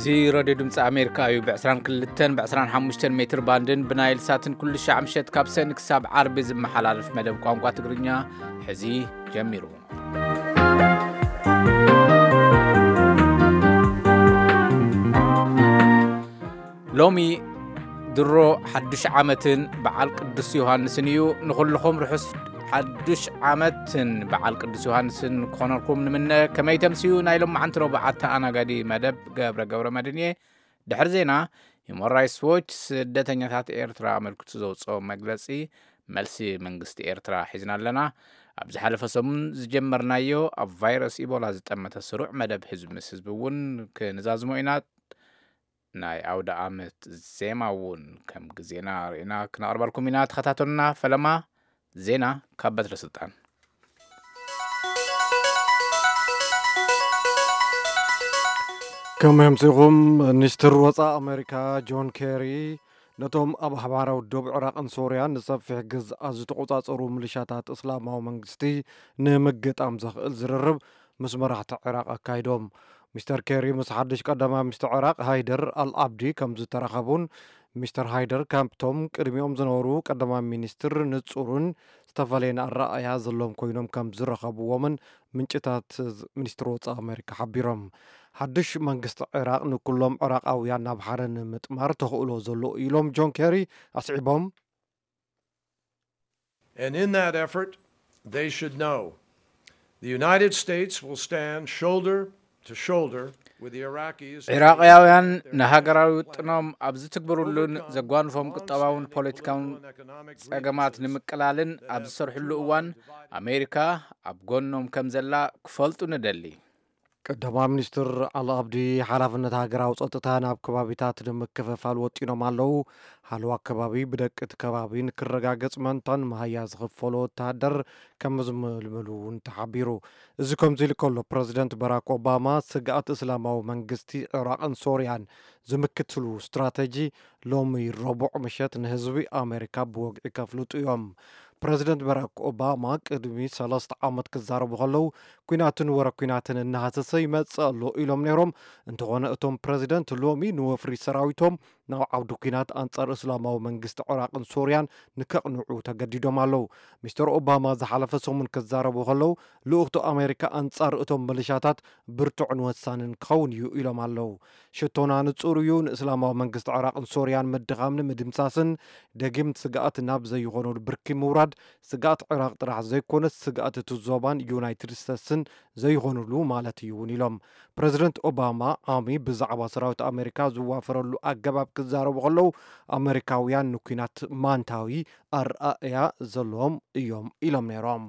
እዚ ሬድዮ ድምፂ ኣሜሪካ እዩ። ብ22 ብ25 ሜትር ባንድን ብናይል ሳትን ኩሉ ሻዕ ምሸት ካብ ሰኒ ክሳብ ዓርቢ ዝመሓላለፍ መደብ ቋንቋ ትግርኛ ሕዚ ጀሚሩ። ሎሚ ድሮ ሓዱሽ ዓመትን በዓል ቅዱስ ዮሃንስን እዩ። ንኹልኹም ርሑስ ሓዱሽ ዓመትን በዓል ቅዱስ ዮሃንስን ክኾነልኩም ንምነ። ከመይ ተምስዩ? ናይ ሎማዓንቲ ረቡዕ ኣተኣናጋዲ መደብ ገብረ ገብረ መድህን እየ። ድሕሪ ዜና፣ ሂውማን ራይትስ ዎች ስደተኛታት ኤርትራ ኣመልኪቱ ዘውፅኦ መግለፂ፣ መልሲ መንግስቲ ኤርትራ ሒዝና ኣለና። ኣብ ዝሓለፈ ሰሙን ዝጀመርናዮ ኣብ ቫይረስ ኢቦላ ዝጠመተ ስሩዕ መደብ ህዝቢ ምስ ህዝቢ እውን ክንዛዝሞ ኢና። ናይ ኣውደ ኣመት ዜማ እውን ከም ግዜና ርኢና ክነቕርበልኩም ኢና። ተኸታተሉና። ፈለማ ዜና ካብ በትረ ስልጣን። ከመይ ኣምሲኹም? ሚኒስትር ወፃኢ ኣሜሪካ ጆን ኬሪ ነቶም ኣብ ሓባራዊ ዶብ ዕራቕን ሶርያን ንሰፊሕ ግዝኣት ዝተቆጻጸሩ ሚሊሻታት እስላማዊ መንግስቲ ንምግጣም ዘኽእል ዝርርብ ምስ መራሕቲ ዕራቕ ኣካይዶም። ሚስተር ኬሪ ምስ ሓድሽ ቀዳማይ ሚኒስትር ዕራቕ ሃይደር ኣልዓብዲ ከም ዝተራኸቡን ሚስተር ሃይደር ካብቶም ቅድሚኦም ዝነበሩ ቀዳማይ ሚኒስትር ንጹርን ዝተፈላለየን ኣረኣእያ ዘለዎም ኮይኖም ከም ዝረኸብዎምን ምንጭታት ሚኒስትሪ ወጻኢ ኣሜሪካ ሓቢሮም። ሓድሽ መንግስቲ ዕራቕ ንኩሎም ዕራቓውያን ናብ ሓደ ንምጥማር ተኽእሎ ዘሎ ኢሎም ጆን ኬሪ ኣስዒቦም። And in that effort, they should know the United States will stand shoulder to shoulder with the Iraqis. ዒራቕያውያን ንሃገራዊ ውጥኖም ኣብ ዝትግብሩሉን ዘጓንፎም ቁጠባውን ፖለቲካውን ጸገማት ንምቅላልን ኣብ ዝሰርሕሉ እዋን ኣሜሪካ ኣብ ጎኖም ከም ዘላ ክፈልጡ ንደሊ። ቀዳማይ ሚኒስትር ኣል ኣብዲ ሓላፍነት ሃገራዊ ጸጥታ ናብ ከባቢታት ንምክፍፋል ወጢኖም ኣለዉ። ሃለዋ ከባቢ ብደቂ እቲ ከባቢ ንክረጋገጽ መንታን መሃያ ዝኽፈሎ ወተሃደር ከም ዝምልምሉ እውን ተሓቢሩ። እዚ ከምዚ ኢሉ ከሎ ፕረዚደንት በራክ ኦባማ ስግኣት እስላማዊ መንግስቲ ዕራቕን ሶርያን ዝምክትሉ ስትራተጂ ሎሚ ረቡዕ ምሸት ንህዝቢ ኣሜሪካ ብወግዒ ከፍልጡ እዮም። ፕረዚደንት በራክ ኦባማ ቅድሚ ሰለስተ ዓመት ክዛረቡ ከለዉ ኲናትን ወረ ኲናትን እናሃሰሰ ይመጽእ ኣሎ ኢሎም ነይሮም። እንተኾነ እቶም ፕረዚደንት ሎሚ ንወፍሪ ሰራዊቶም ናብ ዓውዲ ኲናት ኣንጻር እስላማዊ መንግስቲ ዕራቕን ሶርያን ንከቕንዑ ተገዲዶም ኣለዉ። ሚስተር ኦባማ ዝሓለፈ ሰሙን ክዛረቡ ከለዉ ልኡኽቶ ኣሜሪካ ኣንጻር እቶም ሚሊሻታት ብርቱዕን ወሳንን ክኸውን እዩ ኢሎም ኣለዉ። ሽቶና ንጹር እዩ፣ ንእስላማዊ መንግስቲ ዕራቕን ሶርያን ምድኻምን ምድምሳስን ደጊም ስግኣት ናብ ዘይኾነሉ ብርኪ ምውራድ ስግኣት ዕራቕ ጥራሕ ዘይኮነስ ስግኣት እቲ ዞባን ዩናይትድ ስቴትስን ዘይኾኑሉ ማለት እዩ እውን ኢሎም። ፕረዚደንት ኦባማ ዓሚ ብዛዕባ ሰራዊት ኣሜሪካ ዝዋፈረሉ ኣገባብ ክዛረቡ ከለዉ ኣሜሪካውያን ንኲናት ማንታዊ ኣረኣእያ ዘለዎም እዮም ኢሎም ነይሮም።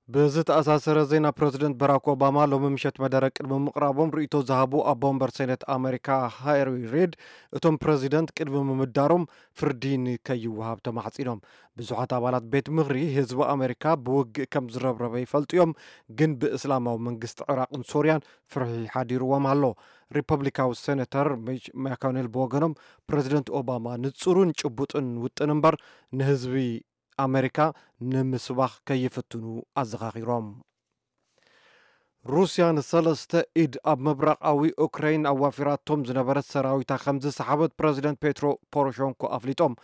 ብዝተኣሳሰረ ዜና ፕረዚደንት በራክ ኦባማ ሎሚ ምሸት መደረ ቅድሚ ምቕራቦም ርእይቶ ዝሃቡ ኣቦ ወንበር ሴኔት ኣሜሪካ ሃሪ ሪድ እቶም ፕረዚደንት ቅድሚ ምምዳሮም ፍርዲ ንከይወሃብ ተማሕጺኖም። ብዙሓት ኣባላት ቤት ምኽሪ ህዝቢ ኣሜሪካ ብውግእ ከም ዝረብረበ ይፈልጡ እዮም፣ ግን ብእስላማዊ መንግስቲ ዕራቕን ሶርያን ፍርሒ ሓዲርዎም ኣሎ። ሪፐብሊካዊ ሴኔተር ሚች ማኮኔል ብወገኖም ፕረዚደንት ኦባማ ንጹርን ጭቡጥን ውጥን እምበር ንህዝቢ ኣመሪካ ንምስባኽ ከይፍትኑ ኣዘኻኺሮም። ሩስያ ንሰለስተ ኢድ ኣብ ምብራቓዊ ኡክራይን ኣዋፊራቶም ዝነበረት ሰራዊታ ከም ዝሰሓበት ፕረዚደንት ፔትሮ ፖሮሸንኮ ኣፍሊጦም።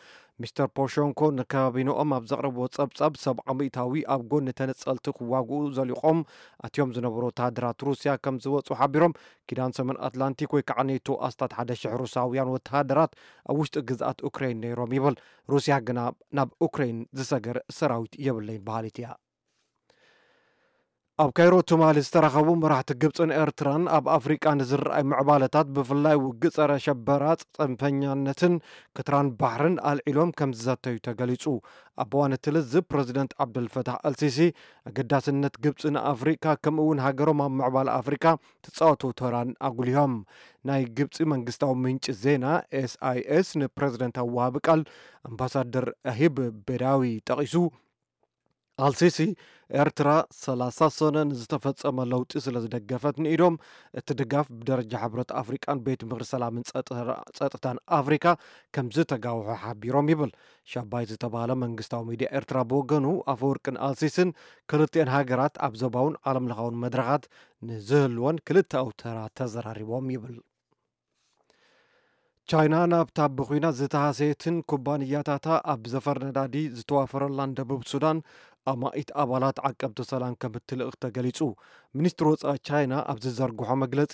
ሚስተር ፖሮሸንኮ ንካቢንኦም ኣብ ዘቕረብዎ ጸብጻብ ሰብዓ ሚእታዊ ኣብ ጎኒ ተነጸልቲ ክዋግኡ ዘሊቖም ኣትዮም ዝነበሩ ወተሃደራት ሩስያ ከም ዝወጹ ሓቢሮም። ኪዳን ሰሜን ኣትላንቲክ ወይ ከዓ ኔቶ ኣስታት ሓደ ሽሕ ሩሳውያን ወተሃደራት ኣብ ውሽጢ ግዝኣት ኡክራይን ነይሮም ይብል። ሩስያ ግና ናብ ኡክራይን ዝሰገር ሰራዊት የብለይን በሃሊት እያ። ኣብ ካይሮ ትማሊ ዝተራኸቡ መራሕቲ ግብፅን ኤርትራን ኣብ ኣፍሪቃ ንዝረኣይ ምዕባለታት ብፍላይ ውግእ ፀረ ሸበራ፣ ፅንፈኛነትን ክትራን ባሕርን ኣልዒሎም ከም ዝዘተዩ ተገሊፁ። ኣብ እዋን እቲ ልዝብ ፕረዚደንት ዓብደልፈታሕ ኣልሲሲ ኣገዳስነት ግብፂ ንኣፍሪቃ ከምኡ እውን ሃገሮም ኣብ ምዕባለ ኣፍሪቃ ትፃወቶ ተራን ኣጉሊሆም። ናይ ግብፂ መንግስታዊ ምንጪ ዜና ኤስኣይኤስ ንፕረዚደንታዊ ወሃቢ ቃል ኣምባሳደር ኣሂብ ቤዳዊ ጠቒሱ ኣልሲሲ፣ ኤርትራ ሰላሳ ሰነ ንዝተፈጸመ ለውጢ ስለ ዝደገፈት ንኢዶም፣ እቲ ድጋፍ ብደረጃ ሕብረት ኣፍሪቃን ቤት ምኽሪ ሰላምን ጸጥታ-፣ ጸጥታን ኣፍሪካ ከም ዝተጋውሖ ሓቢሮም ይብል። ሻባይ ዝተባህለ መንግስታዊ ሚድያ ኤርትራ ብወገኑ፣ ኣፈወርቅን ኣልሲስን ክልቲኤን ሃገራት ኣብ ዞባውን ዓለም ለኻውን መድረኻት ንዝህልወን ክልተኣዊ ተራ ተዘራሪቦም ይብል። ቻይና ናብታ ብኹናት ዝተሃሰየትን ኩባንያታታ ኣብ ዘፈር ነዳዲ ዝተዋፈረላን ደቡብ ሱዳን ኣማኢት ኣባላት ዓቀብቲ ሰላም ከም እትልእኽ ተገሊጹ። ሚኒስትሪ ወጻኢ ቻይና ኣብ ዝዘርግሖ መግለጺ፣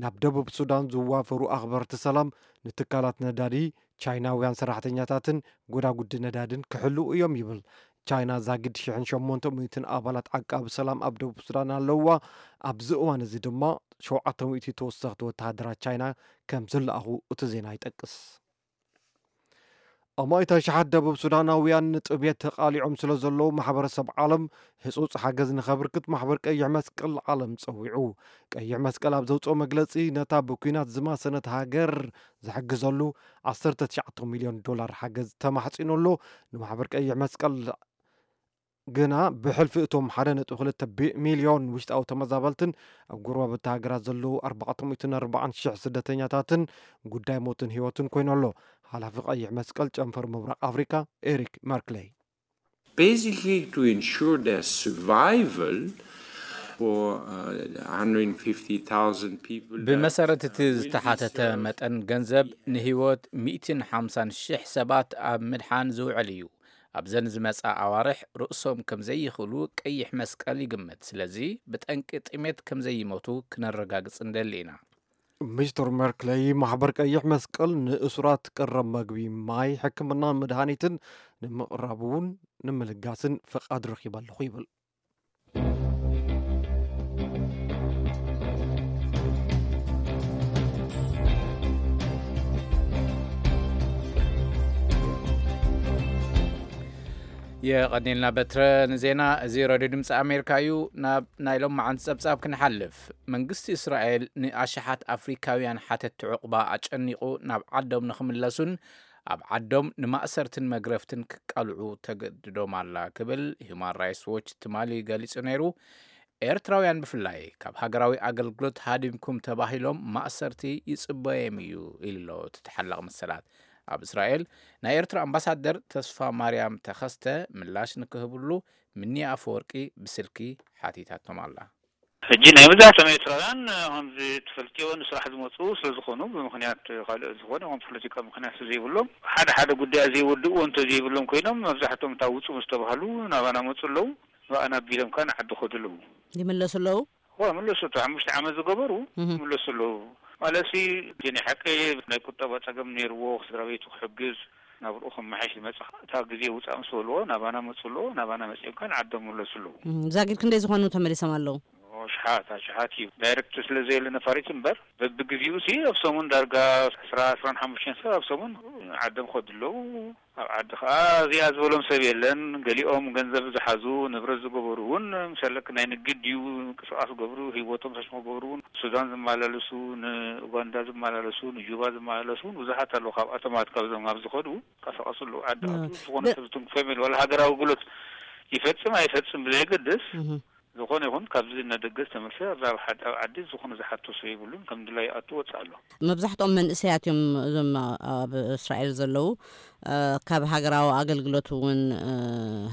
ናብ ደቡብ ሱዳን ዝዋፈሩ ኣኽበርቲ ሰላም ንትካላት ነዳዲ ቻይናውያን ሰራሕተኛታትን ጎዳጉዲ ነዳድን ክሕልዉ እዮም ይብል። ቻይና ዛጊድ ሽሕን ሸሞንተ ሚእትን ኣባላት ዓቃቢ ሰላም ኣብ ደቡብ ሱዳን ኣለዋ። ኣብዚ እዋን እዚ ድማ ሸውዓተ ሚእቲ ተወሰኽቲ ወተሃደራት ቻይና ከም ዝለኣኹ እቲ ዜና ይጠቅስ። ኣማኢት ኣሽሓት ደቡብ ሱዳናውያን ንጥሜት ተቓሊዖም ስለ ዘለዉ፣ ማሕበረሰብ ዓለም ህጹጽ ሓገዝ ንኸብርክት ማሕበር ቀይሕ መስቀል ዓለም ጸዊዑ። ቀይሕ መስቀል ኣብ ዘውጽኦ መግለጺ፣ ነታ ብኲናት ዝማሰነት ሃገር ዝሕግዘሉ ዓሰርተ ትሽዓተ ሚልዮን ዶላር ሓገዝ ተማሕጺኑ ኣሎ። ንማሕበር ቀይሕ መስቀል ግና፣ ብሕልፊ እቶም ሓደ ነጥቢ ክልተ ቢ-፣ ሚልዮን ውሽጣዊ ተመዛበልትን ኣብ ጎረባብቲ ሃገራት ዘለዉ ኣርባዕተ ሚእትን ኣርባዓን ሽሕ ስደተኛታትን ጉዳይ ሞትን ህይወትን ኮይኑ ኣሎ። ሓላፊ ቀይሕ መስቀል ጨንፈር ምብራቕ ኣፍሪካ ኤሪክ መርክለይ። Basically, to ensure their survival for uh, one hundred fifty thousand people. ብመሰረት እቲ ዝተሓተተ መጠን ገንዘብ፣ ንህይወት ሚእትን ሓምሳን ሽሕ ሰባት ኣብ ምድሓን ዝውዕል እዩ። ኣብዘን ዝመጻ ኣዋርሕ ርእሶም ከም ዘይኽእሉ ቀይሕ መስቀል ይግምት። ስለዚ ብጠንቂ ጥሜት ከም ዘይሞቱ ክነረጋግጽ ንደሊ ኢና። ሚስተር መርክለይ፣ ማሕበር ቀይሕ መስቀል ንእሱራት ቀረብ መግቢ፣ ማይ፣ ሕክምናን መድሃኒትን ንምቕራብ እውን ንምልጋስን ፍቓድ ረኺበ ኣለኹ ይብል። የቐኒልና በትረ ንዜና። እዚ ሬድዮ ድምፂ ኣሜሪካ እዩ። ናብ ናይ ሎማዓንቲ ጸብጻብ ክንሓልፍ፣ መንግስቲ እስራኤል ንኣሽሓት ኣፍሪካውያን ሓተትቲ ዕቑባ ኣጨኒቑ ናብ ዓዶም ንኽምለሱን ኣብ ዓዶም ንማእሰርትን መግረፍትን ክቃልዑ ተገድዶም ኣላ ክብል ሂዩማን ራይትስ ዎች ትማሊ ገሊጹ ነይሩ። ኤርትራውያን ብፍላይ ካብ ሃገራዊ ኣገልግሎት ሃዲምኩም ተባሂሎም ማእሰርቲ ይጽበዮም እዩ ኢሉ ኣሎ እቲ ተሓላቒ መሰላት። ኣብ እስራኤል ናይ ኤርትራ ኣምባሳደር ተስፋ ማርያም ተኸስተ ምላሽ ንክህብሉ ምኒ ኣፈወርቂ ብስልኪ ሓቲታቶም ኣላ። ሕጂ ናይ መብዛሕትኦም ኤርትራውያን ከምዚ ትፈልጥዮ ንስራሕ ዝመፁ ስለዝኾኑ ብምኽንያት ካልኦት ዝኾነ ይኹን ፖለቲካዊ ምኽንያት ስለዘይብሎም ሓደ ሓደ ጉዳያት ዘይወድእዎ እንተዘይብሎም ኮይኖም መብዛሕትኦም እታ ውፁ ምስ ተባህሉ ናባና መፁ ኣለዉ። ንኣና ኣቢሎም ከኣ ንዓዲ ከዱ ኣለዉ። ይምለሱ ኣለዉ። ዋ መለሱ እቲ ሓሙሽተ ዓመት ዝገበሩ እህ። ይምለሱ ኣለዉ። ማለትሲ እቲ ናይ ሓቂ ናይ ቁጠባ ፀገም ነይርዎ ስድራ ቤቱ ክሕግዝ ናብርኡ ከመሓይሽ ዝመፀ እታ ግዜ ውፃእ ምስ በልዎ ናባና መፁ ኣለዎ ናባና መፂኦም ከኣ ንዓዶም ይምለሱ ኣለዉ። እም፣ ዛጊድ ክንደይ ዝኾኑ ተመሊሶም ኣለዉ? ኦ፣ ኣሽሓት ኣሽሓት እዩ። ዳይሬክት ስለ ዘየለ ነፋሪት እምበር በብግዜኡ ሲ ኣብ ሰሙን ዳርጋ ዕስራ ዕስራን ሓሙሽተን ሰብ ኣብ ሰሙን ዓዶም ከዱ ኣለዉ። ኣብ ዓዲ ከኣ እዚኣ ዝበሎም ሰብ የለን። ገሊኦም ገንዘብ ዝሓዙ ንብረት ዝገበሩ እውን ምሰለክ ናይ ንግድ ድዩ ምንቅስቃስ ዝገብሩ ህይወቶም ሰሽሞ ክገብሩ እውን ሱዳን ዝመላለሱ ንኡጋንዳ ዝመላለሱ ንጁባ ዝመላለሱ እውን ብዙሓት ኣለዉ። ካብኣቶም ኣት ካብዞም ናብ ዝኸዱ ቀሳቀሱ ኣለዉ። ዓዲ ኣቱ ዝኾነ ሰብ ዝትንክፎ የለን። ዋላ ሃገራዊ ኣገልግሎት ይፈጽም ኣይፈጽም ብዘየገድስ ዝኾነ ይኹን ካብዚ ነደገ ዝተመልሰ ኣብ ዓዲ ዝኾነ ዝሓቶ ሰብ የብሉን። ከም ድላዩ ይኣቱ ወጽእ ኣሎ። መብዛሕትኦም መንእሰያት እዮም እዞም ኣብ እስራኤል ዘለዉ። ካብ ሃገራዊ ኣገልግሎት እውን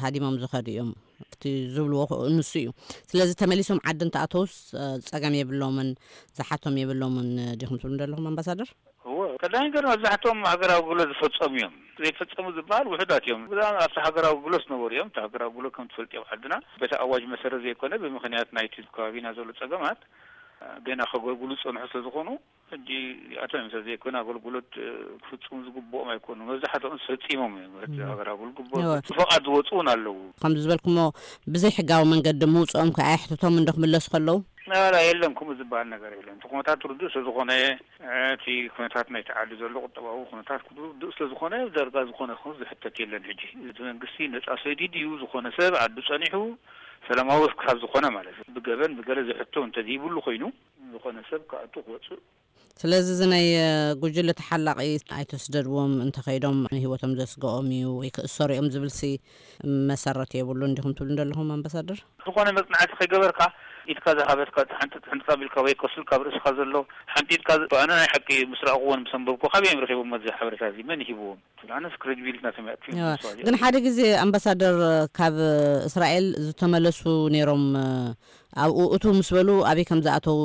ሃዲሞም ዝኸዱ እዮም። እቲ ዝብልዎ ንሱ እዩ። ስለዚ ተመሊሶም ዓዲ እንተኣተውስ ጸገም የብሎምን ዝሓቶም የብሎምን ዲኹም ትብሉ ዘለኹም ኣምባሳደር? እወ ቀዳማይ ነገር መብዛሕትኦም ሃገራዊ ኣገልግሎት ዝፈጸሙ እዮም። ዘይፈጸሙ ዝበሃል ውሑዳት እዮም። ብዛዕባ ኣብቲ ሃገራዊ ኣገልግሎት ዝነበሩ እዮም። እቲ ሃገራዊ ኣገልግሎት ከም ትፈልጥዮ ኣብ ዓድና በቲ ኣዋጅ መሰረት ዘይኮነ ብምኽንያት ናይቲ ከባቢና ዘሎ ጸገማት ገና ከገልግሉ ዝጸንሑ ስለ ዝኾኑ ሕጂ እዚኣቶም እዮም ሰብ ዘይኮነ ኣገልግሎት ክፍጽሙ ዝግብኦም ኣይኮኑ። መብዛሕትኦም ፈጺሞም እዮም። እቲ ሃገራዊ ኣገልግሎት ብፈቓድ ዝወፁ እውን ኣለዉ። ከምዚ ዝበልኩሞ ብዘይ ሕጋዊ መንገዲ ምውፅኦም ከ ኣየሕትቶም እንዶ ክምለሱ ከለዉ? ላ የለን ከምኡ ዝበሃል ነገር የለን። እቲ ኩነታት ርዱእ ስለዝኾነ እቲ ኩነታት ናይቲ ዓዲ ዘሎ ቁጠባዊ ኩነታት ርዱእ ስለዝኾነ ዳርጋ ዝኾነ ይኹን ዝሕተት የለን። ሕጂ እቲ መንግስቲ ነፃ ሰዲድ እዩ ዝኾነ ሰብ ዓዱ ፀኒሑ ሰላማዊ ካብ ዝኾነ ማለት እዩ ብገበን ብገለ ዝሕቶ እንተዘይብሉ ኮይኑ ዝኾነ ሰብ ክኣቱ ክወፅእ ስለዚ እዚ ናይ ጉጅለ ተሓላቒ ኣይተስደድዎም፣ እንተኸይዶም ንህይወቶም ዘስግኦም እዩ ወይ ክእሰሩ እዮም ዝብልሲ መሰረት የብሉን እንዲኹም ትብሉ እንደለኹም ኣምባሳደር? ዝኾነ መጽናዕቲ ከይገበርካ፣ ኢድካ ዝሃበትካ፣ ሓንጢጥ፣ ሓንጢጥ ኣቢልካ ወይ ከሱል ካብ ርእስኻ ዘሎ ሓንጢጥካ፣ ኣነ ናይ ሓቂ ምስ ረኣኽዎን ምስ ኣንበብኩ፣ ካበይ እዮም ረኺቦም እዚ ሓበሬታ እዚ? መን ሂብዎም? ኣነስ ክሬዲቢሊቲ ናቶም የጥፍኡ እዋ፣ ይመስሉ። ግን ሓደ ግዜ ኣምባሳደር ካብ እስራኤል ዝተመለሱ ነይሮም። ኣብኡ እቱ ምስ በሉ ኣበይ ከም ዝኣተዉ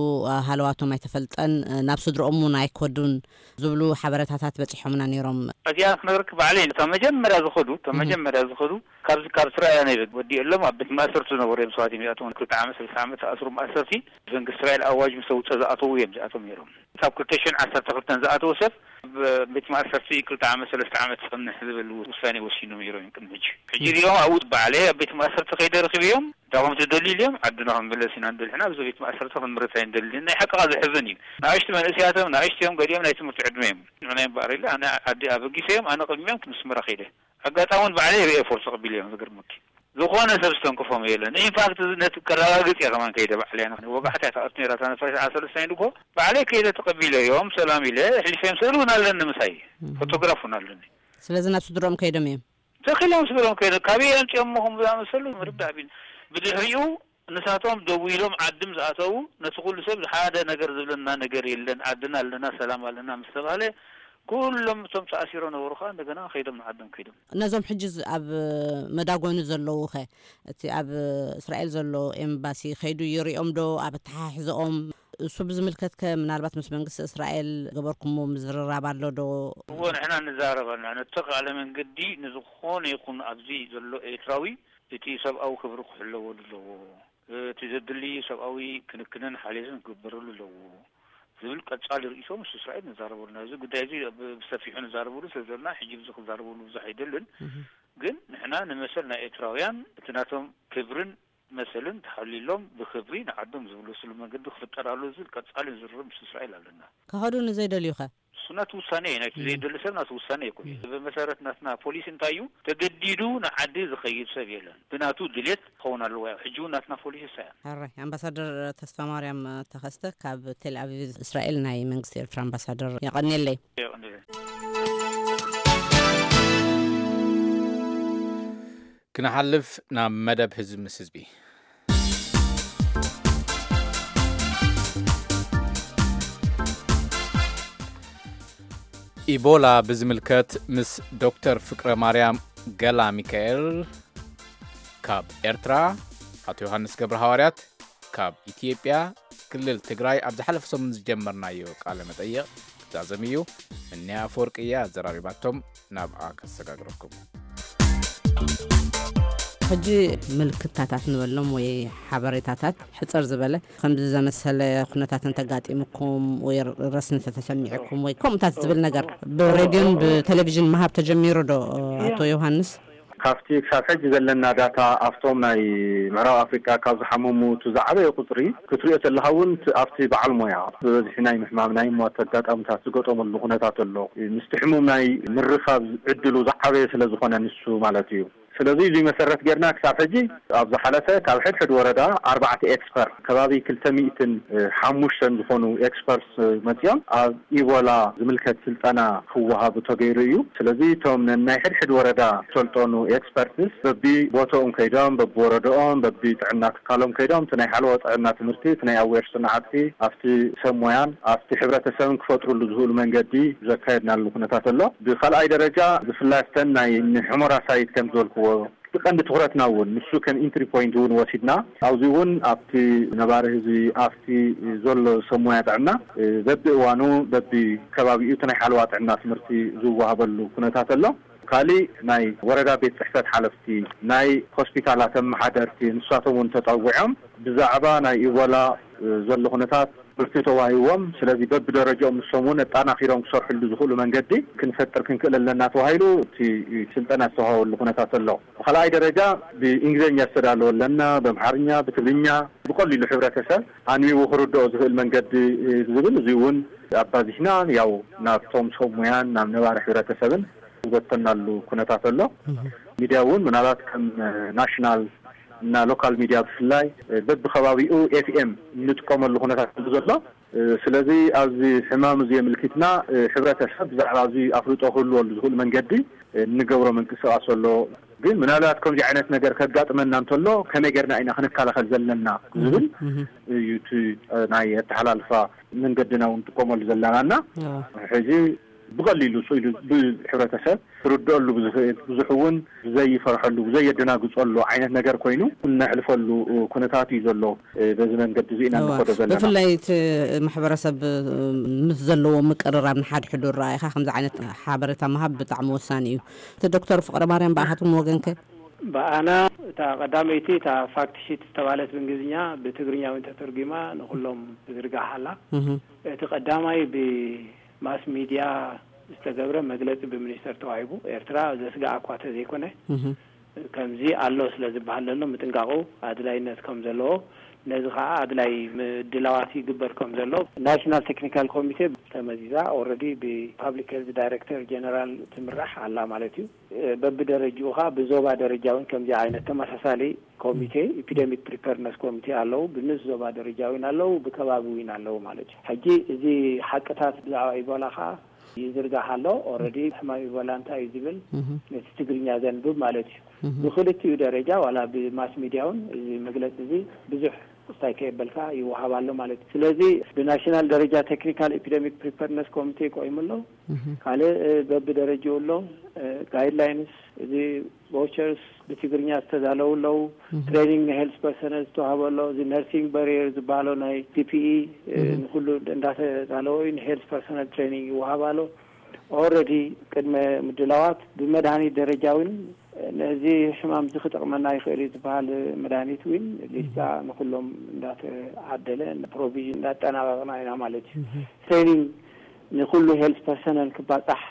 ሃለዋቶም ኣይተፈልጠን። ናብ ስድረኦም እውን ኣይኮዱን ዝብሉ ሓበሬታታት በጺሖምና ነይሮም። እዚኣ ክነግርክ ባዕለይ፣ እታ መጀመርያ ዝኸዱ፣ እታ እህ። መጀመርያ ዝኸዱ ካብዚ ካብ እስራኤል ናይ ወዲኦሎም ኣብ ቤት ማእሰርቲ ዝነበሩ እዮም። ሰባት እዮም እዚኣቶም ክልተ ዓመት፣ ሰለስተ ዓመት ተኣስሩ ማእሰርቲ። ብሰንኪ እስራኤል ኣዋጅ ምስ ኣውፀ ዝኣተዉ እዮም እዚኣቶም ነይሮም። ካብ ክልተ ሽሕን ዓሰርተ ክልተን ዝኣተወ ሰብ ኣብ ቤት ማእሰርቲ ክልተ ዓመት፣ ሰለስተ ዓመት ክፀንሕ ዝብል ውሳኔ ወሲኖም ነይሮም እዮም ቅድሚ ሕጂ። ሕጂ እዚኦም ኣብኡ ባዕለይ ኣብ ቤት ማእሰርቲ ከይደ ረኺበዮም፣ እንታይ ከም ትደልዩ ኢሎም፣ ዓድና ክንምለስ ኢና ንደሊ፣ ሕና ኣብዚ ቤት ማእሰርቲ ክንምረት ኣይንደልን። ናይ ሓቅኻ ዘሕዝን እዩ። ንኣሽቱ መንእሰያት እዮም፣ ንኣሽቱ እዮም፣ ገሊኦም ናይ ትምህርቲ ዕድመ እዮም። ንሕና እምበኣር ኢለ፣ ኣነ ዓዲ ኣበጊሰዮም፣ ኣነ ቅድሚኦም ምስመራ ከይደ። ኣጋጣሚ እውን ባዕለይ ሪኤ ፎርስ ተቐቢለዮም፣ ዝገርመኪ። ዝኾነ ሰብ ዝተንከፎም የለን። ኢንፋክት፣ እዚ ነቲ ከረጋግጽ እየ ከማን ከይደ ባዕለይ። ኣነ ወጋሕታ እያ ትኣቱ ነይራ፣ እታ ነፋሪት ዓሰርተ ሰለስተ እኮ ባዕለይ ከይደ ተቐቢለዮም፣ ሰላም ኢለ፣ ኣሕሊፈዮም፣ ስእሊ እውን ኣለኒ ምሳይ፣ እም። ፎቶግራፍ እውን ኣለኒ። ስለዚ ናብ ስድሮኦም ከይዶም እዮም? ተኺሎም ስድሮም ከይደ፣ ካበይ ኣምጺኦሞ ከም ዝኣመሰሉ ምርዳእ ቢን። ብድሕሪኡ ንሳቶም ደዊሎም ዓዲ ምስ ኣተዉ፣ ነቲ ኩሉ ሰብ ሓደ ነገር ዝብለና ነገር የለን፣ ዓድና ኣለና፣ ሰላም ኣለና ምስ ተባህለ፣ ኩሎም እቶም ተኣሲሮም ነበሩ ኸኣ እንደገና ከይዶም ንዓዶም ከይዶም። ነዞም ሕጂ ዝ-፣ ኣብ መዳጎኒ ዘለዉ ኸ፣ እቲ ኣብ እስራኤል ዘሎ ኤምባሲ ከይዱ ይሪኦም ዶ? ኣብ ኣተሓሕዝኦም እሱ ብዝምልከት ከ ምናልባት ምስ መንግስቲ እስራኤል ገበርኩሞ ምዝርራብ ኣሎ ዶ? እዎ፣ ንሕና ንዛረብ ኣለና። ነቲ ተኻእለ መንገዲ ንዝኾነ ይኹን ኣብዚ ዘሎ ኤርትራዊ እቲ ሰብኣዊ ክብሪ ክሕለወሉ ኣለዎ። እቲ ዘድሊ ሰብኣዊ ክንክንን ሓልዮትን ክግበረሉ ኣለዎ ዝብል ቀጻሊ ርእይቶ ምስ እስራኤል ንዛረበሉ። ናብዚ ጉዳይ እዚ ብ-፣ ብሰፊሑ ንዛረበሉ ስለ ዘለና፣ ሕጂ ብዚ ክዛረበሉ ብዙሕ ኣይደልን። እህ። ግን ንሕና ንመሰል ናይ ኤርትራውያን እቲ ናቶም ክብርን መሰልን ተሓሊሎም ብክብሪ ንዓዶም ዝምለስሉ መንገዲ ክፍጠር ኣሎ ዝብል ቀጻሊ ዝርርብ ምስ እስራኤል ኣለና። ክኸዱ ንዘይደልዩ ኸ? እሱ ናቱ ውሳኔ እዩ። ናይቲ እም። ዘይደሊ ሰብ ናቱ ውሳኔ ይኮን። እም። ብመሰረት ናትና ፖሊሲ እንታይ እዩ? ተገዲዱ ንዓዲ ዝኸይድ ሰብ የለን። ብናቱ ድሌት ክኸውን ኣለዎ። ያው ሕጂ እውን ናትና ፖሊሲ እሳ እያ። ሕራይ። ኣምባሳደር ተስፋ ማርያም ተኸስተ ካብ ቴል ኣቪቭ እስራኤል ናይ መንግስቲ ኤርትራ ኣምባሳደር፣ የቐንየለይ። የቐንየለይ። ክንሓልፍ ናብ መደብ ህዝቢ ምስ ህዝቢ። ኢቦላ ብዝምልከት ምስ ዶክተር ፍቅረ ማርያም ገላ ሚካኤል ካብ ኤርትራ፣ ኣቶ ዮሃንስ ገብረ ሃዋርያት ካብ ኢትዮጵያ ክልል ትግራይ ኣብ ዝሓለፈ ሰሙን ዝጀመርናዮ ቃለ መጠይቕ ክዛዘም እዩ። ምንያ ኣፈወርቂ እያ ኣዘራሪባቶም፣ ናብኣ ከሰጋግረኩም። ሕጂ ምልክታታት ንበሎም ወይ ሓበሬታታት ሕጽር ዝበለ ከምዚ ዘመሰለ ኩነታት እንተጋጢምኩም ወይ ረስኒ ተተሰሚዕኩም ወይ ከምኡታት ዝብል ነገር ብሬድዮን ብቴሌቪዥን ምሃብ ተጀሚሩ ዶ ኣቶ ዮሃንስ? ካብቲ ክሳብ ሕጂ ዘለና ዳታ ኣብቶም ናይ ምዕራብ ኣፍሪቃ ካብ ዝሓመሙ እቲ ዝዓበየ ቁጽሪ ክትሪኦ ተለኻ እውን እቲ ኣብቲ በዓል ሞያ ብበዝሒ ናይ ምሕማም ናይ ሞት ኣጋጣሚታት ዝገጠመሉ ኩነታት ኣሎ። ምስቲ ሕሙም ናይ ምርኻብ ዕድሉ ዝዓበየ ስለ ዝኾነ ንሱ ማለት እዩ። ስለዚ እዚ መሰረት ጌርና ክሳብ ሕጂ ኣብ ዝሓለፈ ካብ ሕድሕድ ወረዳ ኣርባዕተ ኤክስፐርት ከባቢ ክልተ ሚእትን ሓሙሽተን ዝኾኑ ኤክስፐርት መጺኦም ኣብ ኢቦላ ዝምልከት ስልጠና ክወሃቡ ተገይሩ እዩ። ስለዚ እቶም ነናይ ሕድሕድ ወረዳ ዝሰልጠኑ ኤክስፐርትስ በቢ ቦታኦም ከይዶም፣ በቢ ወረዳኦም፣ በቢ ጥዕና ትካሎም ከይዶም እቲ ናይ ሓለዋ ጥዕና ትምህርቲ፣ እቲ ናይ ኣዌር ስነ ዓርኪ ኣብቲ ሰብ ሞያን ኣብቲ ሕብረተሰብን ክፈጥሩሉ ዝኽእሉ መንገዲ ዘካየድናሉ ኩነታት ኣሎ። ብኻልኣይ ደረጃ ብፍላይ ኣብተን ናይ ንሑመራ ሳይት ከም ዝበልክዎ እቲ ቀንዲ ትኹረትና እውን ንሱ ከም ኢንትሪ ፖይንት እውን ወሲድና ኣብዚ እውን ኣብቲ ነባሪ ህዝቢ ኣብቲ ዘሎ ሰብ ሞያ ጥዕና በቢ እዋኑ በቢ ከባቢኡ እቲ ናይ ሓለዋ ጥዕና ትምህርቲ ዝወሃበሉ ኩነታት ኣሎ። ካሊእ ናይ ወረዳ ቤት ጽሕፈት ሓለፍቲ፣ ናይ ሆስፒታላት ኣመሓደርቲ ንሳቶም እውን ተጠዊዖም ብዛዕባ ናይ ኢቦላ ዘሎ ኩነታት ብርቱ ተዋሂዎም። ስለዚ በብደረጃኦም ንሶም እውን ኣጣናኺሮም ክሰርሕሉ ዝኽእሉ መንገዲ ክንፈጥር ክንክእል ኣለና ተባሂሉ እቲ ስልጠና ዝተዋሃበሉ ኩነታት ኣሎ። ብኻልኣይ ደረጃ ብእንግሊዝኛ ዝተዳለወ ኣለና፣ ብኣምሓርኛ፣ ብትግርኛ ብቐሊሉ ሕብረተሰብ ኣንቢቡ ክርድኦ ዝኽእል መንገዲ ዝብል እዚ እውን ኣባዚሕና ያው ናብቶም ሰብ ሙያን ናብ ነባሪ ሕብረተሰብን ዝበተናሉ ኩነታት ኣሎ። ሚድያ እውን ምናልባት ከም ናሽናል እና ሎካል ሚድያ ብፍላይ በብከባቢኡ ኤፍኤም እንጥቀመሉ ኩነታት ኣሎ ዘሎ። ስለዚ ኣብዚ ሕማም እዚ የምልክትና፣ ሕብረተሰብ ብዛዕባ እዚ ኣፍልጦ ክህልወሉ ዝኽእል መንገዲ እንገብሮ ምንቅስቃስ ኣሎ። ግን ምናልባት ከምዚ ዓይነት ነገር ከጋጥመና እንተሎ ከመይ ጌርና ኢና ክንከላኸል ዘለና ዝብል እዩ እቲ ናይ ኣተሓላልፋ መንገድና እውን ንጥቀመሉ ዘለና። እና ሕጂ ብቐሊሉ ስኢሉ ብሕብረተሰብ ክርድአሉ ብዝኽእል፣ ብዙሕ እውን ብዘይፈርሐሉ፣ ብዘየደናግጸሉ ዓይነት ነገር ኮይኑ እነሕልፈሉ ኩነታት እዩ ዘሎ። በዚ መንገዲ እዚ ኢና እንኸዶ ዘለና። ብፍላይ እቲ ማሕበረሰብ ምስ ዘለዎ ምቅርራብ ንሓድሕዱ ረኣይኻ ከምዚ ዓይነት ሓበሬታ ምሃብ ብጣዕሚ ወሳኒ እዩ። እቲ ዶክተር ፍቕረ ማርያም ብኣኻትኩም ወገንከ? ብኣና እታ ቀዳመይቲ እታ ፋክት ሺት ዝተባለት ብእንግሊዝኛ ብትግርኛ እውን ተተርጒማ ንኹሎም ትዝርጋሕ ኣላ። እቲ ቀዳማይ ብማስ ሚድያ ዝተገብረ መግለጺ ብሚኒስተር ተዋሂቡ። ኤርትራ ዘስግኣ እኳ ተዘይኮነ ከምዚ ኣሎ ስለ ዝበሃል ዘሎ ምጥንቃቑ ኣድላይነት ከም ዘለዎ፣ ነዚ ከዓ ኣድላይ ምድላዋት ይግበር ከም ዘሎ ናሽናል ቴክኒካል ኮሚቴ ተመዚዛ ኦረዲ ብፓብሊክ ሄልዝ ዳይሬክተር ጀነራል ትምራሕ ኣላ ማለት እዩ። በብደረጅኡ ከዓ ብዞባ ደረጃ እውን ከምዚ ዓይነት ተመሳሳሊ ኮሚቴ፣ ኢፒደሚክ ፕሪፐርነስ ኮሚቴ ኣለዉ። ብንስ ዞባ ደረጃ እውን ኣለዉ፣ ብከባቢ እውን ኣለዉ ማለት እዩ። ሕጂ እዚ ሓቅታት ብዛዕባ ኢቦላ ከዓ ይዝርጋሕ ኣሎ። ኦረዲ ሕማም ኢቦላ እንታይ እዩ ዝብል ነቲ ትግርኛ ዘንብብ ማለት እዩ። ብክልቲኡ ደረጃ ዋላ ብማስ ሚድያ እውን እዚ መግለፂ እዚ ብዙሕ ስታይ ከየበልካ ይወሃብ ኣሎ ማለት እዩ። ስለዚ ብናሽናል ደረጃ ቴክኒካል ኢፒደሚክ ፕሪፐርነስ ኮሚቴ ቆይሙ ኣሎ። ካልእ በብደረጃኡ ኣሎ። ጋይድላይንስ እዚ ቫውቸርስ ብትግርኛ ዝተዳለዉ ኣለዉ። ትሬኒንግ ንሄልስ ፐርሰነል ዝተዋህበ ኣሎ። እዚ ነርሲንግ ባሪየር ዝበሃሎ ናይ ፒፒኢ ንኩሉ እንዳተዳለወ እዩ። ንሄልስ ፐርሰነል ትሬኒንግ ይወሃብ ኣሎ። ኦረዲ ቅድመ ምድላዋት ብመድሃኒት ደረጃ እውን ነዚ ሕማም እዚ ክጠቕመና ይኽእል እዩ ዝበሃል መድሃኒት እውን ሊስታ ንኩሎም እንዳተዓደለ ፕሮቪዥን እንዳጠናቐቕና ኢና ማለት እዩ። ትሬኒንግ ንኩሉ ሄልስ ፐርሰነል ክባፃሕ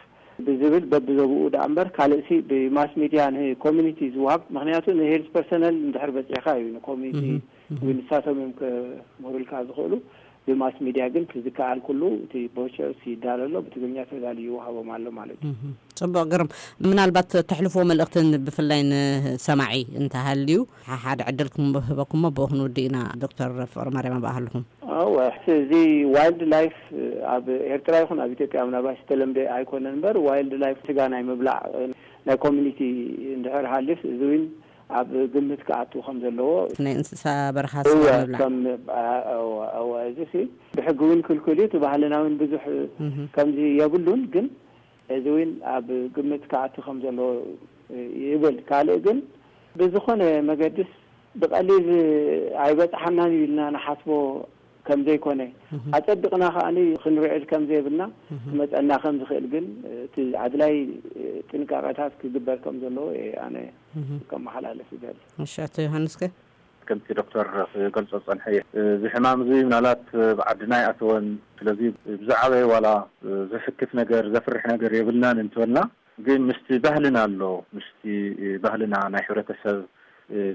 ብዝብል በብዘብኡ ደኣ እምበር ካልእሲ ብማስ ሚድያ ንኮሚኒቲ ዝወሃብ፣ ምክንያቱ ንሄልስ ፐርሰነል እንድሕር በፂሕካ እዩ ንኮሚኒቲ ወይ ንሳቶም እዮም ከምህሩልካ ዝኽእሉ። ብማስ ሚድያ ግን እቲ ዝከኣል ኩሉ እቲ ቫውቸርስ ይዳሎ ኣሎ፣ ብትግርኛ ተዳልዩ ይወሃቦም ኣሎ ማለት እዩ። ጽቡቕ ግርም። ምናልባት ተሕልፎ መልእኽትን ብፍላይ ንሰማዒ እንተሃልዩ ሓሓደ ዕድል ክንህበኩሞ ብኡ ክንውድእ ኢና። ዶክተር ፍቕሪ ማርያም ኣብኣ ኣለኹም። እወ፣ እዚ ዋይልድ ላይፍ ኣብ ኤርትራ ይኹን ኣብ ኢትዮጵያ ምናልባት ዝተለምደ ኣይኮነን እምበር ዋይልድ ላይፍ ስጋ ናይ ምብላዕ ናይ ኮሚኒቲ እንድሕር ሃልፍ እዚ እውን ኣብ ግምት ክኣቱ ከም ዘለዎ ናይ እንስሳ በረኻ እወ፣ ስጋ ምብላዕ ከም እወ፣ እወ፣ እዚ ሲ ብሕጊ እውን ክልክል እዩ። እቲ ባህልና እውን ብዙሕ ከምዚ የብሉን፣ ግን እዚ እውን ኣብ ግምት ክኣቱ ከም ዘለዎ ይብል። ካልእ ግን ብዝኾነ መገድስ ብቐሊል ኣይበጽሓናን እዩ ኢልና ንሓስቦ ከም ዘይኮነ ኣጸቢቕና ከኣ ክንርዕድ ከም ዘይብልና ክመጸና ከም ዝኽእል ግን እቲ ኣድላይ ጥንቃቐታት ክግበር ከም ዘለዎ እየ ኣነ ከመሓላልፍ ይደሊ። እሺ፣ ኣቶ ዮሃንስከ? ከምቲ ዶክተር ክገልጾ ዝጸንሐ እዩ። እዚ ሕማም እዚ ምናልባት ኣብ ዓድና ኣይኣተወን። ስለዚ ብዝዓበየ ዋላ ዘሕክፍ ነገር፣ ዘፍርሕ ነገር የብልናን እንተበልና፣ ግን ምስቲ ባህልና ኣሎ፣ ምስቲ ባህልና ናይ ሕብረተሰብ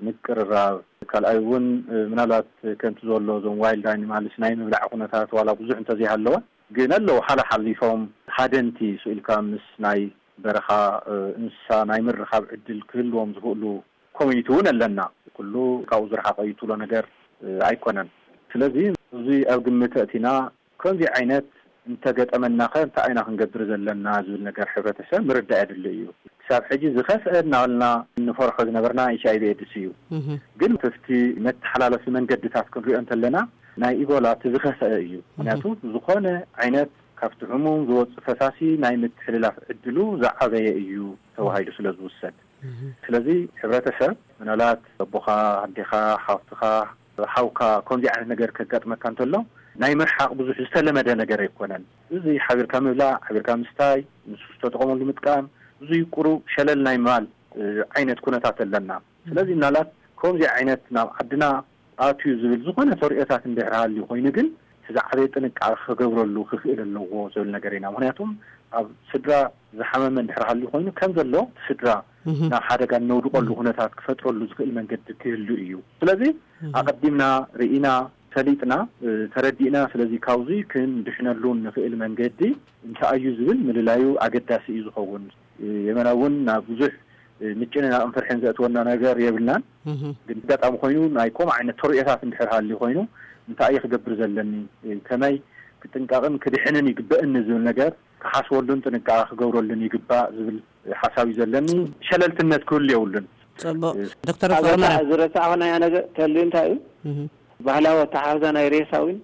ምቅርራብ፣ ካልኣይ እውን ምናልባት ከምቲ ዘሎ እዞም ዋይልድ ኣኒማልስ ናይ ምብላዕ ኩነታት ዋላ ብዙሕ እንተዘይሃለወ፣ ግን ኣለዉ ሓለ ሓሊፎም ሃደንቲ ስኢልካ ምስ ናይ በረኻ እንስሳ ናይ ምርኻብ ዕድል ክህልዎም ዝኽእሉ ኮሚኒቲ እውን ኣለና። ኩሉ ካብኡ ዝረሓቐ እዩ ትብሎ ነገር ኣይኮነን። ስለዚ እዚ ኣብ ግምት ኣእቲና ከምዚ ዓይነት እንተገጠመናኸ እንታይ ኢና ክንገብር ዘለና ዝብል ነገር ሕብረተሰብ ምርዳእ የድሊ እዩ። ክሳብ ሕጂ ዝኸፍአ እናበልና እንፈርሖ ዝነበርና ኤች ኣይ ቪ ኤድስ እዩ። ግን ተፍቲ መተሓላለፊ መንገድታት ክንሪኦ እንተለና ናይ ኢቦላ እቲ ዝኸፍአ እዩ። ምክንያቱ ዝኾነ ዓይነት ካብቲ ሕሙም ዝወፅእ ፈሳሲ ናይ ምትሕልላፍ ዕድሉ ዝዓበየ እዩ ተባሂሉ ስለ ዝውሰድ። ስለዚ ሕብረተሰብ ምናልባት ኣቦኻ፣ ኣዴኻ፣ ሓፍትኻ፣ ሓውካ ከምዚ ዓይነት ነገር ከጋጥመካ እንተሎ ናይ ምርሓቕ ብዙሕ ዝተለመደ ነገር ኣይኮነን። እዚ ሓቢርካ ምብላዕ፣ ሓቢርካ ምስታይ፣ ንሱ ዝተጠቐመሉ ምጥቃም፣ ብዙይ ቁሩብ ሸለል ናይ ምባል ዓይነት ኩነታት ኣለና። ስለዚ ምናልባት ከምዚ ዓይነት ናብ ዓድና ኣትዩ ዝብል ዝኾነ ተርእዮታት እንድሕር ሃልዩ ኮይኑ ግን እቲ ዝዓበየ ጥንቃቐ ክገብረሉ ክኽእል ኣለዎ ዝብል ነገር ኢና። ምክንያቱም ኣብ ስድራ ዝሓመመ እንድሕር ሃልዩ ኮይኑ ከም ዘሎ እቲ ስድራ ናብ ሓደጋ እነውድቐሉ ኩነታት ክፈጥረሉ ዝኽእል መንገዲ ክህሉ እዩ። ስለዚ ኣቐዲምና ርኢና ፈሊጥና ተረዲእና ስለዚ ካብዚ ክንድሕነሉ ንኽእል መንገዲ እንታይ እዩ ዝብል ምልላዩ ኣገዳሲ እዩ ዝኸውን። የመና እውን ናብ ብዙሕ ምጭንናቕን ፍርሕን ዘእትወና ነገር የብልናን። ግን ኣጋጣሚ ኮይኑ ናይ ከምኡ ዓይነት ተርእዮታት እንድሕር ሃልዩ ኮይኑ እንታይ እየ ክገብር ዘለኒ፣ ከመይ ክጥንቀቕን ክድሕንን ይግበእኒ ዝብል ነገር ክሓስበሉን ጥንቃቐ ክገብረሉን ይግባእ ዝብል ሓሳብ እዩ ዘለኒ። ሸለልትነት ክህሉ የብሉን። ፅቡቅ። ዶክተር ፍቅረማርያም፣ ዝረሳዕናዮ ነገር ተልዩ እንታይ እዩ? ባህላዊ ኣተሓሕዛ ናይ ሬሳ እውን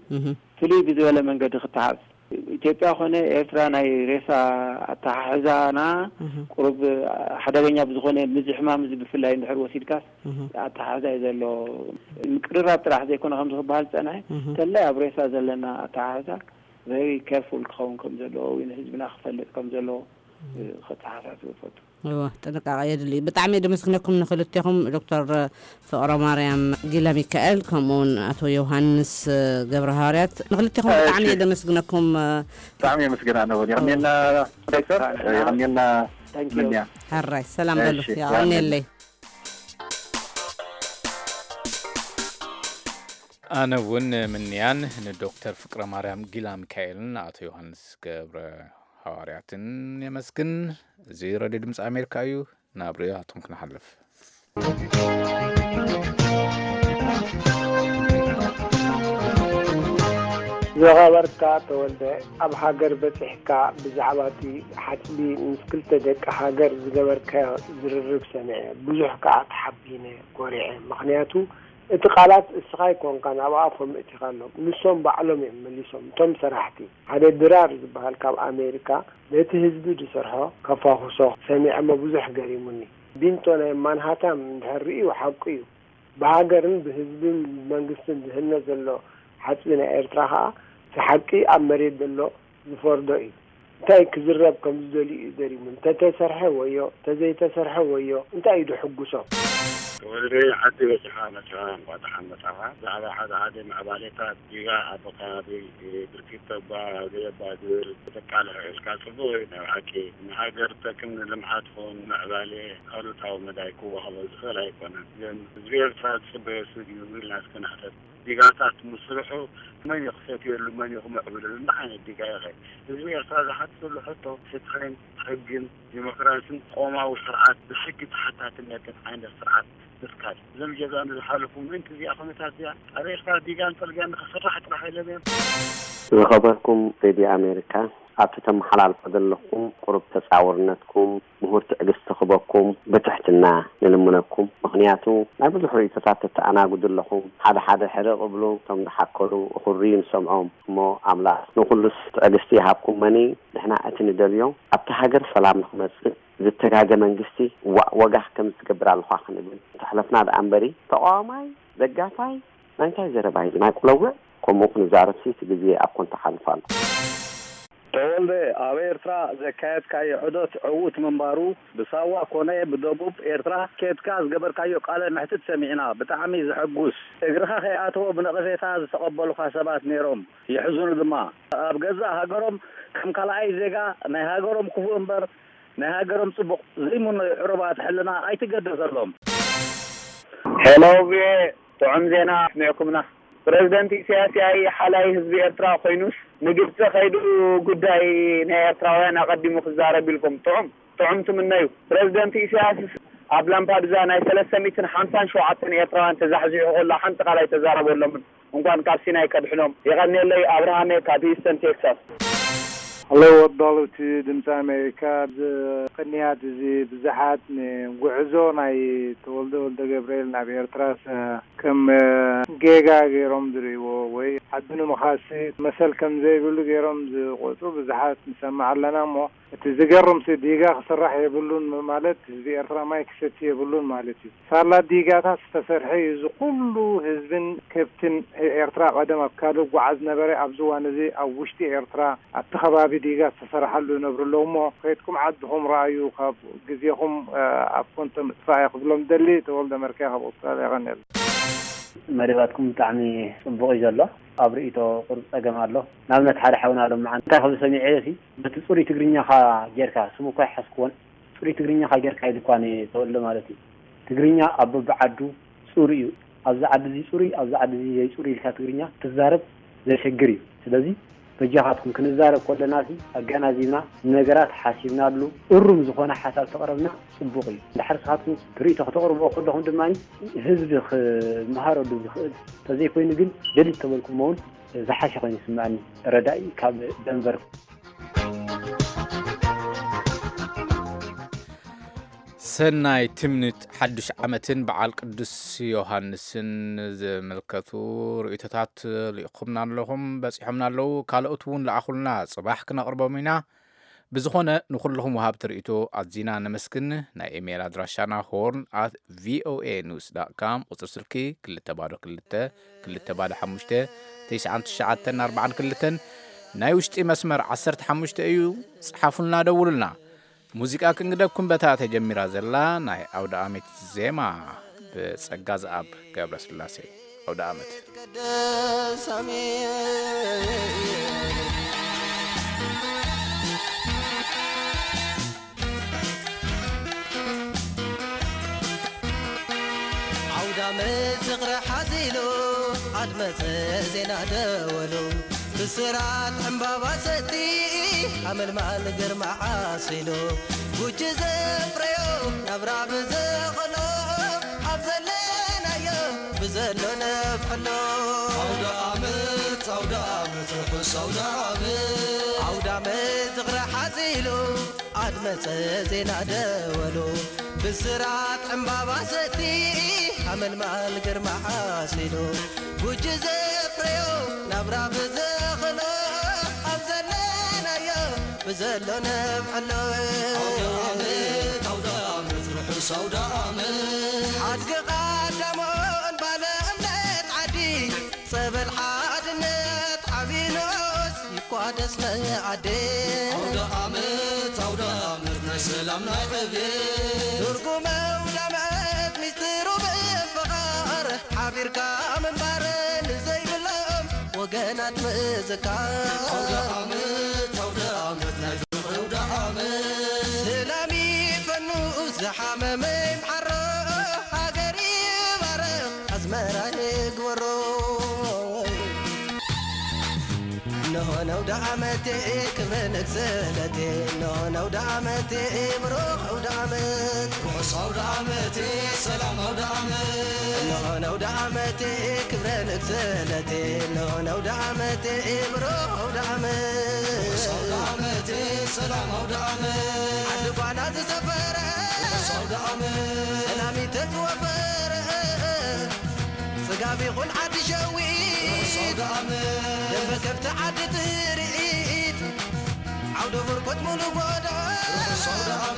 ፍሉይ ብዝበለ መንገዲ ክተሓዝ። ኢትዮጵያ ኮነ ኤርትራ ናይ ሬሳ ኣተሓሕዛና ቁሩብ ሓደገኛ ብዝኾነ፣ ምዚ ሕማም እዚ ብፍላይ እንድሕር ወሲድካስ ኣተሓሕዛ እዩ ዘሎ። ምቅርራብ ጥራሕ ዘይኮነ ከምዚ ክበሃል ዝጸንሐ፣ ተላይ ኣብ ሬሳ ዘለና ኣተሓሕዛ very careful ክኸውን ከም ዘለዎ ወይ ንህዝብና ክፈልጥ ከም ዘለዎ ከተሓሳስብ እፈቱ። እወ፣ ጥንቃቐ የድሊ። ብጣዕሚ እየ ደመስግነኩም ንክልቴኹም፣ ዶክተር ፍቕረ ማርያም ጊለ ሚካኤል ከምኡውን ኣቶ ዮሃንስ ገብረ ሃዋርያት፣ ንክልቴኹም ብጣዕሚ እየ ደመስግነኩም። ብጣዕሚ የመስግን ኣነ እውን። የቐንየልና ዶክተር፣ የቐንየልና። ምንያ። ሕራይ ሰላም በሉ። የቐንየለይ። ኣነ እውን ምንያን ንዶክተር ፍቅረ ማርያም ጊላ ሚካኤልን ኣቶ ዮሃንስ ገብረ ሃዋርያትን የመስግን። እዚ ረድዮ ድምፂ ኣሜሪካ እዩ። ናብ ርእይቶታቶም ክንሓልፍ። ዝኸበርካ ተወልደ፣ ኣብ ሃገር በጺሕካ ብዛዕባ እቲ ሓጽቢ ምስ ክልተ ደቂ ሃገር ዝገበርካዮ ዝርርብ ሰሚዐ። ብዙሕ ከኣ ተሓቢነ፣ ኮሪዐ። ምኽንያቱ እቲ ቃላት እስኻ ኣይኮንካን ኣብ ኣፎም እቲኻሎም፣ ንሶም ባዕሎም እዮም መሊሶም፣ እቶም ሰራሕቲ። ሓደ ድራር ዝበሃል ካብ ኣሜሪካ ነቲ ህዝቢ ዝሰርሖ ከፋኹሶ ሰሚዐ እሞ ብዙሕ ገሪሙኒ። ቢንቶ ናይ ማንሃታም እንድሕር ርእዩ ሓቁ እዩ። ብሃገርን ብህዝብን ብመንግስትን ዝህነ ዘሎ ሓጽቢ ናይ ኤርትራ ከኣ እቲ ሓቂ ኣብ መሬት ዘሎ ዝፈርዶ እዩ። እንታይ ክዝረብ ከም ዝደልዩ እዩ ገሪሙኒ። ተተሰርሐ ወዮ፣ ተዘይተሰርሐ ወዮ፣ እንታይ እዩ ድሕጉሶ? ወልደ ዓዲ በጺሓ መጺኣ እንኳ ደሓን መጻኻ። ብዛዕባ ሓደ ሓደ ምዕባሌታት ዲጋ ኣብ ከባቢ ብርኪት ተባ ዘይባ ዝብል ተቃልሖ ኢልካ ጽቡቕ እዩ። ናይ ብሓቂ ንሃገር ጠቅም ንልምዓት ኹን ምዕባሌ ኣሉታዊ መዳይ ክወሃቦ ዝኽእል ኣይኮነን። ግን ህዝቢ ኤርትራ ዝጽበዮ ስብ እዩ ኢልና እስከ ንሕተት። ዲጋታት ምስርሑ መን እዩ ክሰትየሉ፣ መን እዩ ክምዕብለሉ? እንታይ ዓይነት ዲጋ ኢኸ? ህዝቢ ኤርትራ ዝሓትተሉ ሕቶ ፍትሕን ሕግን ዲሞክራሲን ቆማዊ ስርዓት ብሕጊ ተሓታትነትን ዓይነት ስርዓት ምትካል። እዞም ጀጋኑ ዝሓለፉ ምእንቲ እዚኣ ኩነታት እዚኣ ኣብ ኤርትራ ዲጋን ጽርግያን ንኽስራሕ ጥራሕ ኢሎም እዮም። ዝኸበርኩም ሬድዮ ኣሜሪካ፣ ኣብቲ ተመሓላልፎ ዘለኹም ቁሩብ ተጻውርነትኩም ምሁር ትዕግስቲ ክበኩም ብትሕትና ንልምነኩም። ምኽንያቱ ናይ ብዙሕ ርእይቶታት ተተኣናግዱ ኣለኹም። ሓደ ሓደ ሕርቕ እብሉ፣ እቶም ዝሓከሉ እኹርዩ ንሰምዖም። እሞ ኣምላኽ ንኹሉስ ትዕግስቲ ይሃብኩም። መኒ ንሕና እቲ ንደልዮ ኣብቲ ሃገር ሰላም ንኽመጽእ ዝተጋገ መንግስቲ ዋእ ወጋሕ ከም ዝትገብር ኣለኻ ክንብል ተሕለፍና ደኣ እምበሪ ተቓዋማይ ደጋፋይ ናይ እንታይ ዘረባ እዩ ናይ ቁለውዕ ከምኡ ክንዛረብ ሲ እቲ ግዜ ኣብ ኮንታ ሓልፍ ኣሎ። ተወልደ ኣብ ኤርትራ ዘካየድካዮ ዑደት ዕዉት ምንባሩ ብሳዋ ኮነ ብደቡብ ኤርትራ ኬድካ ዝገበርካዮ ቃለ መሕትት ሰሚዕና ብጣዕሚ ዘሐጉስ እግርኻ ከይኣተወ ብነቐፌታ ዝተቐበሉኻ ሰባት ነይሮም የሕዝኑ ድማ ኣብ ገዛእ ሃገሮም ከም ካልኣይ ዜጋ ናይ ሃገሮም ክፉእ እምበር ናይ ሃገሮም ጽቡቕ ዘይምነዩ ዕሩባት ሕልና ኣይትገደሰሎም። ሄሎ ቪኦኤ ጥዑም ዜና ኣስሚዕኩምና። ፕረዚደንት ኢሳያስ ያኢ ሓላይ ህዝቢ ኤርትራ ኮይኑስ ንግብጺ ከይዱ ጉዳይ ናይ ኤርትራውያን ኣቐዲሙ ክዛረብ ኢልኩም ጥዑም ጥዑም ትምነዩ። ፕረዚደንት ኢሳያስ ኣብ ላምፓዱዛ ናይ ሰለስተ ሚእትን ሓምሳን ሸውዓተን ኤርትራውያን ተዛሕዚሑ ከሎ ሓንቲ ቃል ኣይተዛረበሎምን። እንኳን ካብ ሲናይ ከድሕኖም። የቐንየለይ ኣብርሃመ ካብ ሂውስተን ቴክሳስ። ሀሎ ወዳሉቲ ድምፂ ኣሜሪካ። እዚ ቅንያት እዚ ብዙሓት ንጉዕዞ ናይ ተወልደ ወልደ ገብርኤል ናብ ኤርትራስ ከም ጌጋ ገይሮም ዝርእይዎ ወይ ዓዲ ንምኻሲ መሰል ከም ዘይብሉ ገይሮም ዝቆፅሩ ብዙሓት ንሰምዕ ኣለና። እሞ እቲ ዝገርምሲ ዲጋ ክስራሕ የብሉን ማለት ህዝቢ ኤርትራ ማይ ክሰቲ የብሉን ማለት እዩ። ሳላ ዲጋታት ዝተሰርሐ እዩ እዚ ኩሉ ህዝብን ከብትን ኤርትራ ቀደም ኣብ ካልእ ጓዓዝ ነበረ ኣብዚ እዋን እዚ ኣብ ውሽጢ ኤርትራ ኣብቲ ከባቢ ዲጋ ዝተሰረሓሉ ይነብሩ ኣለዉ እሞ ከይድኩም ዓድኹም ረኣዩ ካብ ግዜኹም ኣብ ኮንቶ ምጥፋእ እየ ክብሎም ደሊ ተወልደ መርካይ ካብ ኣውስትራልያ ቀንየሉ። መደባትኩም ብጣዕሚ ጽቡቕ እዩ ዘሎ ኣብ ርእይቶ ቁሩብ ጸገም ኣሎ ንኣብነት ሓደ ሓውና ሎምዓንቲ እንታይ ክብል ሰሚዐዮ ሲ በቲ ጽሩይ ትግርኛኻ ጌርካ ስሙ እኳ ኣይሓዝክዎን ጽሩይ ትግርኛኻ ጌርካ ኢሉ እኳ ንየ ተወልደ ማለት እዩ ትግርኛ ኣብ በብዓዱ ጽሩይ እዩ ኣብዚ ዓዲ እዚ ጽሩይ ኣብዚ ዓዲ እዚ ዘይጽሩይ ኢልካ ትግርኛ ክትዛረብ ዘሸግር እዩ ስለዚ በጃኻትኩም ክንዛረብ ከለና ሲ ኣገናዚብና ነገራት ሓሲብናሉ እሩም ዝኾነ ሓሳብ ተቕረብና ጽቡቕ እዩ። እንድሕር ስኻትኩም ርእይቶ ከተቕርብዎ ከለኹም ድማ ህዝቢ ክመሃረሉ ዝኽእል፣ ተዘይኮይኑ ግን ደሊት ተበልኩሞ እውን ዝሓሸ ኮይኑ ይስምዐኒ። ረዳኢ ካብ ደንቨር። ሰናይ ትምኒት ሓዱሽ ዓመትን በዓል ቅዱስ ዮሃንስን ዝምልከቱ ርእይቶታት ልኢኹምና ኣለኹም፣ በጺሖምና ኣለዉ። ካልኦት እውን ለኣኹልና፣ ጽባሕ ክነቕርቦም ኢና። ብዝኾነ ንኹልኹም ወሃብቲ ርእይቶ ኣዚና ነመስግን። ናይ ኢሜይል ኣድራሻና ሆርን ኣት ቪኦኤ ኒውስ ዳት ካም፣ ቁጽሪ ስልኪ ክልተ ባዶ ክልተ ክልተ ባዶ ሓሙሽተ ተስዓን ትሽዓተን ኣርባዓን ክልተን፣ ናይ ውሽጢ መስመር ዓሰርተ ሓሙሽተ እዩ። ጽሓፉልና፣ ደውሉልና። ሙዚቃ ክንግደኩም በታ ተጀሚራ ዘላ ናይ ኣውደ ኣመት ዜማ ብጸጋ ዝኣብ ገብረ ስላሴ። ኣውደ ኣመት። ኣውደ ኣመት ዝኽሪ ሓዚሉ ኣድመጸ ዜና ደወሉ፣ ብስራት ዕምባባ ሰቲ ኣመልማል ግርማ ዓሲሉ፣ ጉጂ ዘፍረዮ ናብራ ብዘኸሎ፣ ኣብ ዘለናዮ ብዘሎ ነብዕሎ። ኣውደ ኣመት ኣውደ ኣመት ርሑስ ኣውደ ኣመት። ኣውደ ኣመት ዝኽሪ ሓዚሉ ኣድመጸ ዜና ደወሉ፣ ብስራት ዕምባባ ሰቲ ኣመልማል ግርማ ዓሲሉ፣ ጉጂ ዘፍረዮ ናብራ ብዘኸሎ፣ ኣብ ዘለናዮ ብዘሎ ነብዕሎ። ኣውደ ኣመት ኣውደ ኣመት ርሑስ ኣውደ ኣመት። ሓድጊ ቐዳሞን ባለ እምነት ዓዲ፣ ጸበል ሓድነት ዓቢ ንኡስ ይቋደስ መኣዲ። ኣውደ ኣመት ኣውደ ኣመት ናይ ሰላም ናይ ዕቤት። ትርጉም ኣውደ ኣመት ሚስጥሩ ብምፍቓር፣ ሓቢርካ ምንባር ንዘይብሎም ወገናት ምዝካር። ኣውደ ኣመት ኣውደ ኣመት ናይ ፍቕሪ ኣውደ ኣመት። ሰላም ይፈኑ ዝሓመመ ይምሓሮ፣ ሃገር ይባረኽ ኣዝመራ ይግበሮ። እንሆ ነውደ ዓመቴ ክብረ ንግስለቴ፣ እንሆ ነውደ ዓመቴ ብሩኽ ኣውደ ዓመት። ርሑስ ኣውደ ዓመቴ ሰላም ኣውደ ዓመት። እንሆ ነውደ ዓመቴ ክብረ ንግስለቴ፣ እንሆ ነውደ ዓመቴ ብሩኽ ኣውደ ዓመት። ርሑስ ኣውደ ዓመቴ ሰላም ኣውደ ዓመት። ዓዲ ጓና ዝሰፈረ ርሑስ ኣውደ ዓመት። ሰላም ይተዝወፈረ ጽጋብ ይኹን ዓዲ ሸዊት፣ ደንበ ከብቲ ዓዲ ትርኢት፣ ዓውደ በርኮት ሙሉ ጎዶ፣ ሰላም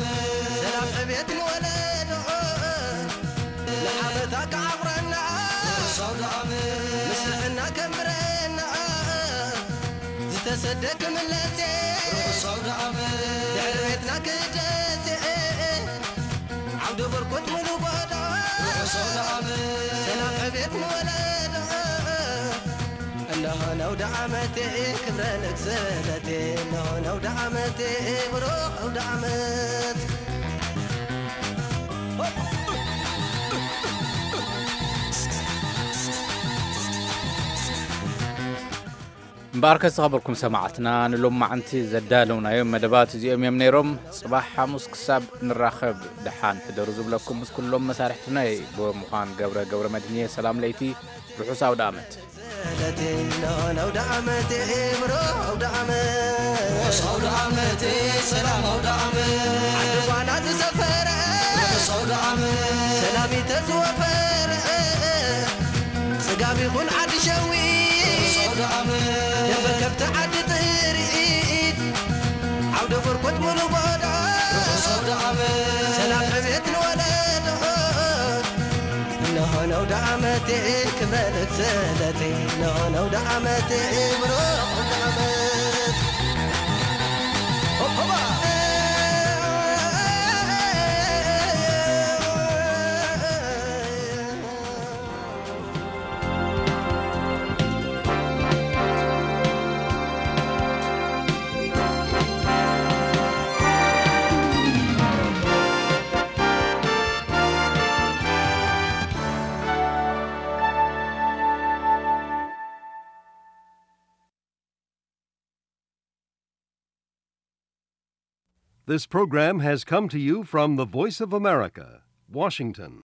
ዕቤት ንወለዶ፣ ንዓመታ ክዓቑረና፣ ምስ ጥዕና ከንብረና፣ ዝተሰደ ክምለስ፣ ድሕሪ ቤትና ክደስ፣ ዓውደ በርኮት ሙሉ ጎዶ፣ ሰላም ዕቤት ንወለዶ። እነሆ ነውደ ዓመቴ ክብረ ንግስነቴ፣ እነሆ ነውደ ዓመቴ ብሩኽ ኣውደ ዓመት። እምበኣርከ ዝተኸበርኩም ሰማዕትና፣ ንሎማዕንቲ ዘዳለውናዮም መደባት እዚኦም እዮም ነይሮም። ጽባሕ ሓሙስ ክሳብ ንራኸብ ደሓን ሕደሩ ዝብለኩም ምስ ኩሎም መሳርሕትናይ ብምዃን ገብረ ገብረ መድህንየ ሰላም ለይቲ፣ ርሑስ ኣውደ ኣመት። ሰላም ኣውደ ዓመት። ዓዲ ጓና ዝሰፈረ ሰላም ይተዝወፈረ ጽጋብ ይኹን ዓዲ ሸዊት ደንበ ከብቲ ዓዲ ጥሪት ዓውደ በርኮት ሙሉ ጎዳ ሰላም ዕቤት ንወለዶ እነሆ ነውደ ዓመቴ ክብረ ንግስነቴ እነሆ ነውደ ዓመቴ ብሩኽ ኣውደ ዓመት ሆባ This program has come to you from the Voice of America, Washington.